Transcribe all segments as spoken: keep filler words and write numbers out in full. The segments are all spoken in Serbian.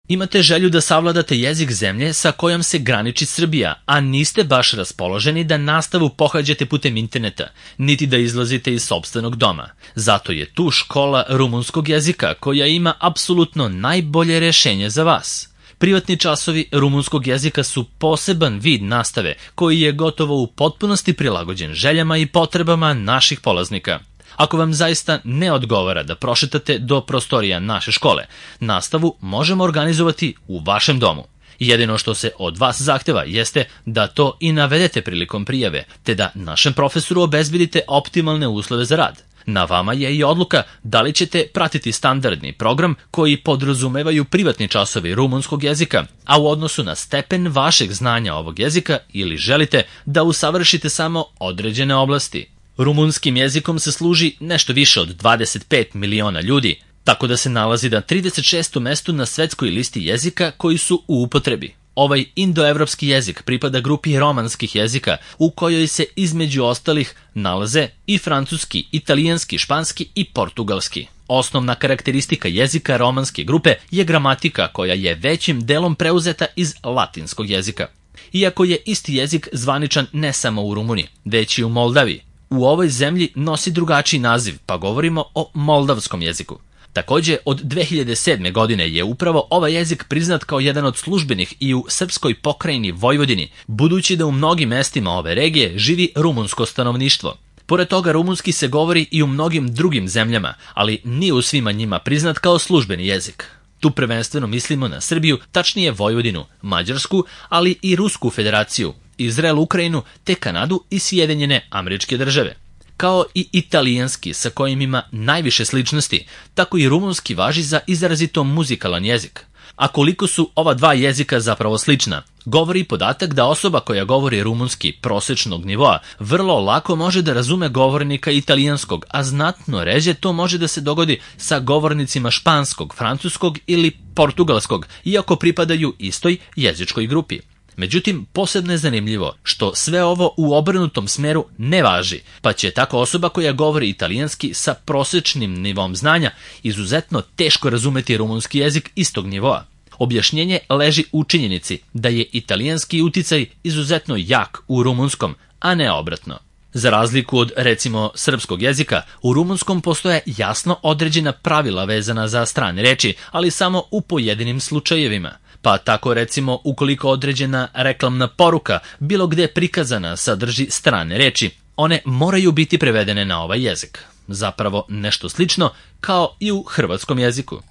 Imate želju da savladate jezik zemlje sa kojom se graniči Srbija, a niste baš raspoloženi da nastavu pohađate putem interneta, niti da izlazite iz sopstvenog doma. Zato je tu škola rumunskog jezika koja ima apsolutno najbolje rešenje za vas. Privatni časovi rumunskog jezika su poseban vid nastave koji je gotovo u potpunosti prilagođen željama i potrebama naših polaznika. Ako vam zaista ne odgovara da prošetate do prostorija naše škole, nastavu možemo organizovati u vašem domu. Jedino što se od vas zahteva jeste da to i navedete prilikom prijave, te da našem profesoru obezbedite optimalne uslove za rad. Na vama je i odluka da li ćete pratiti standardni program koji podrazumevaju privatni časovi rumunskog jezika, a u odnosu na stepen vašeg znanja ovog jezika ili želite da usavršite samo određene oblasti. Rumunskim jezikom se služi nešto više od dvadeset pet miliona ljudi, tako da se nalazi na trideset šestom mestu na svetskoj listi jezika koji su u upotrebi. Ovaj indoevropski jezik pripada grupi romanskih jezika u kojoj se između ostalih nalaze i francuski, italijanski, španski i portugalski. Osnovna karakteristika jezika romanske grupe je gramatika koja je većim delom preuzeta iz latinskog jezika. Iako je isti jezik zvaničan ne samo u Rumuniji, već i u Moldaviji, u ovoj zemlji nosi drugačiji naziv, pa govorimo o moldavskom jeziku. Takođe, od dve hiljade sedme. godine je upravo ovaj jezik priznat kao jedan od službenih i u srpskoj pokrajini Vojvodini, budući da u mnogim mestima ove regije živi rumunsko stanovništvo. Pored toga, rumunski se govori i u mnogim drugim zemljama, ali nije u svima njima priznat kao službeni jezik. Tu prvenstveno mislimo na Srbiju, tačnije Vojvodinu, Mađarsku, ali i Rusku federaciju, Izrael, Ukrajinu, te Kanadu i Sjedinjene Američke Države. Kao i italijanski sa kojim ima najviše sličnosti, tako i rumunski važi za izrazito muzikalan jezik. A koliko su ova dva jezika zapravo slična, govori podatak da osoba koja govori rumunski prosečnog nivoa vrlo lako može da razume govornika italijanskog, a znatno ređe to može da se dogodi sa govornicima španskog, francuskog ili portugalskog, iako pripadaju istoj jezičkoj grupi. Međutim, posebno je zanimljivo što sve ovo u obrnutom smeru ne važi, pa će tako osoba koja govori italijanski sa prosečnim nivom znanja izuzetno teško razumeti rumunski jezik istog nivoa. Objašnjenje leži u činjenici da je italijanski uticaj izuzetno jak u rumunskom, a ne obratno. Za razliku od, recimo, srpskog jezika, u rumunskom postoje jasno određena pravila vezana za strane reči, ali samo u pojedinim slučajevima. Pa tako, recimo, ukoliko određena reklamna poruka bilo gde prikazana sadrži strane reči, one moraju biti prevedene na ovaj jezik. Zapravo nešto slično kao i u hrvatskom jeziku.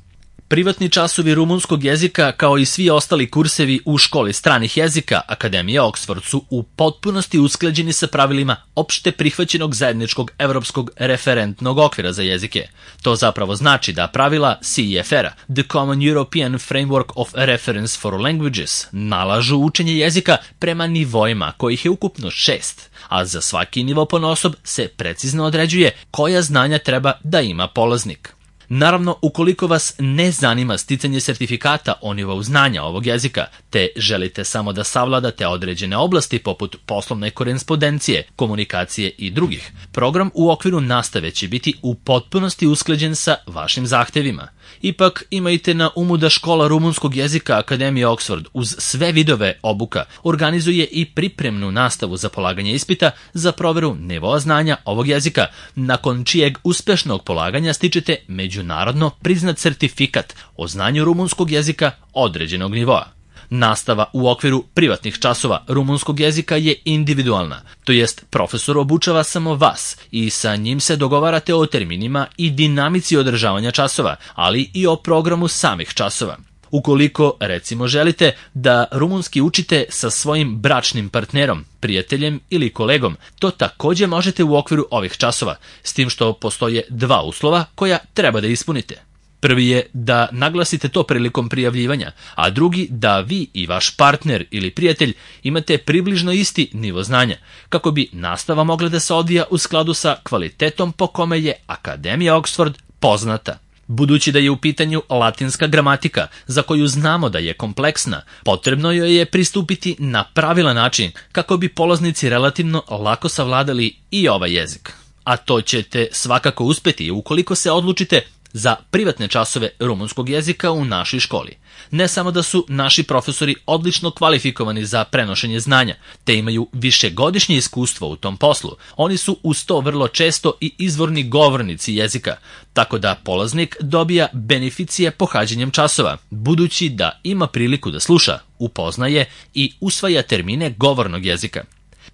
Privatni časovi rumunskog jezika, kao i svi ostali kursevi u školi stranih jezika Akademije Oxford, su u potpunosti usklađeni sa pravilima opšte prihvaćenog zajedničkog evropskog referentnog okvira za jezike. To zapravo znači da pravila C E F R-a, The Common European Framework of Reference for Languages, nalažu učenje jezika prema nivoima, kojih je ukupno šest, a za svaki nivo ponaosob se precizno određuje koja znanja treba da ima polaznik. Naravno, ukoliko vas ne zanima sticanje sertifikata o nivou znanja ovog jezika, te želite samo da savladate određene oblasti poput poslovne korespondencije, komunikacije i drugih, program u okviru nastave će biti u potpunosti usklađen sa vašim zahtevima. Ipak imajte na umu da škola rumunskog jezika Akademije Oxford uz sve vidove obuka organizuje i pripremnu nastavu za polaganje ispita za proveru nivoa znanja ovog jezika, nakon čijeg uspešnog polaganja stičete međunarodno priznat sertifikat o znanju rumunskog jezika određenog nivoa. Nastava u okviru privatnih časova rumunskog jezika je individualna, to jest profesor obučava samo vas i sa njim se dogovarate o terminima i dinamici održavanja časova, ali i o programu samih časova. Ukoliko, recimo, želite da rumunski učite sa svojim bračnim partnerom, prijateljem ili kolegom, to takođe možete u okviru ovih časova, s tim što postoje dva uslova koja treba da ispunite. Prvi je da naglasite to prilikom prijavljivanja, a drugi da vi i vaš partner ili prijatelj imate približno isti nivo znanja, kako bi nastava mogla da se odvija u skladu sa kvalitetom po kome je Akademija Oxford poznata. Budući da je u pitanju latinska gramatika, za koju znamo da je kompleksna, potrebno joj je pristupiti na pravilan način kako bi polaznici relativno lako savladali i ovaj jezik. A to ćete svakako uspeti ukoliko se odlučite za privatne časove rumunskog jezika u našoj školi. Ne samo da su naši profesori odlično kvalifikovani za prenošenje znanja, te imaju višegodišnje iskustvo u tom poslu, oni su uz to vrlo često i izvorni govornici jezika, tako da polaznik dobija beneficije pohađanjem časova, budući da ima priliku da sluša, upoznaje i usvaja termine govornog jezika.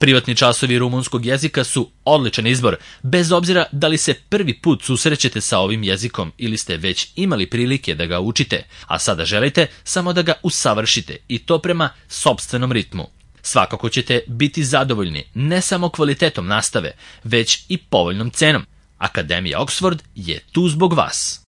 Privatni časovi rumunskog jezika su odličan izbor, bez obzira da li se prvi put susrećete sa ovim jezikom ili ste već imali prilike da ga učite, a sada želite samo da ga usavršite i to prema sopstvenom ritmu. Svakako ćete biti zadovoljni ne samo kvalitetom nastave, već i povoljnom cenom. Akademija Oxford je tu zbog vas.